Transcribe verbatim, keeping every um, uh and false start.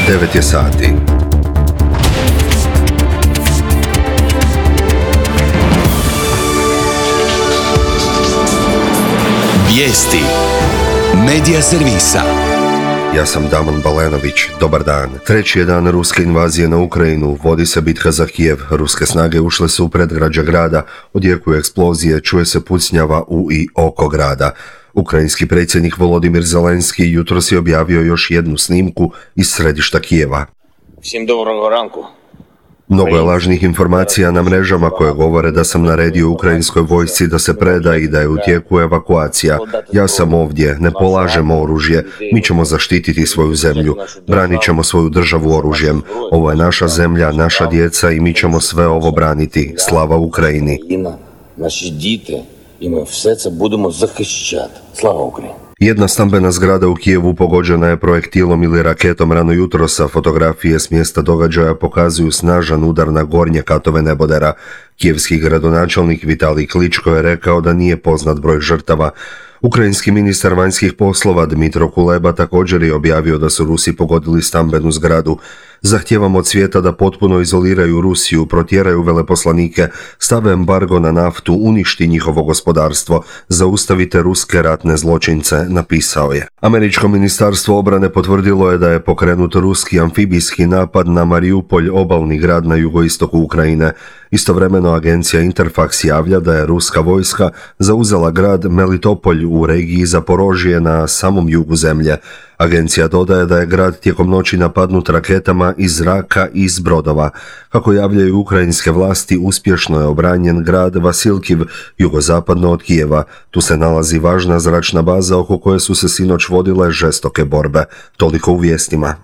devet je sati. Vijesti Medija servisa. Ja sam Damon Balenović, dobar dan. Treći je dan ruske invazije na Ukrajinu, vodi se bitka za Kijev. Ruske snage ušle su u predgrađe grada, odjekuju eksplozije, čuje se pucnjava u i oko grada. Ukrajinski predsjednik Volodimir Zelenski jutros je objavio još jednu snimku iz središta Kijeva. Всім доброго ранку. Mnogo je lažnih informacija na mrežama koje govore da sam naredio ukrajinskoj vojsci da se preda i da je u tijeku evakuacija. Ja sam ovdje, ne polažemo oružje, mi ćemo zaštititi svoju zemlju, branit ćemo svoju državu oružjem. Ovo je naša zemlja, naša djeca i mi ćemo sve ovo braniti. Slava Ukrajini. Наші діти, і ми все це будемо захищати. Слава Україні. Jedna stambena zgrada u Kijevu pogođena je projektilom ili raketom rano jutrosa. Fotografije s mjesta događaja pokazuju snažan udar na gornje katove nebodera. Kijevski gradonačelnik Vitalij Kličko je rekao da nije poznat broj žrtava. Ukrajinski ministar vanjskih poslova Dmitro Kuleba također je objavio da su Rusi pogodili stambenu zgradu. Zahtijevamo od svijeta da potpuno izoliraju Rusiju, protjeraju veleposlanike, stave embargo na naftu, uništi njihovo gospodarstvo, zaustavite ruske ratne zločince, napisao je. Američko ministarstvo obrane potvrdilo je da je pokrenut ruski amfibijski napad na Mariupolj, obalni grad na jugoistoku Ukrajine. Istovremeno agencija Interfax javlja da je ruska vojska zauzela grad Melitopolj u regiji Zaporožje na samom jugu zemlje. Agencija dodaje da je grad tijekom noći napadnut raketama iz zraka i iz brodova. Kako javljaju ukrajinske vlasti, uspješno je obranjen grad Vasilkiv, jugozapadno od Kijeva. Tu se nalazi važna zračna baza oko koje su se sinoć vodile žestoke borbe. Toliko u vijestima.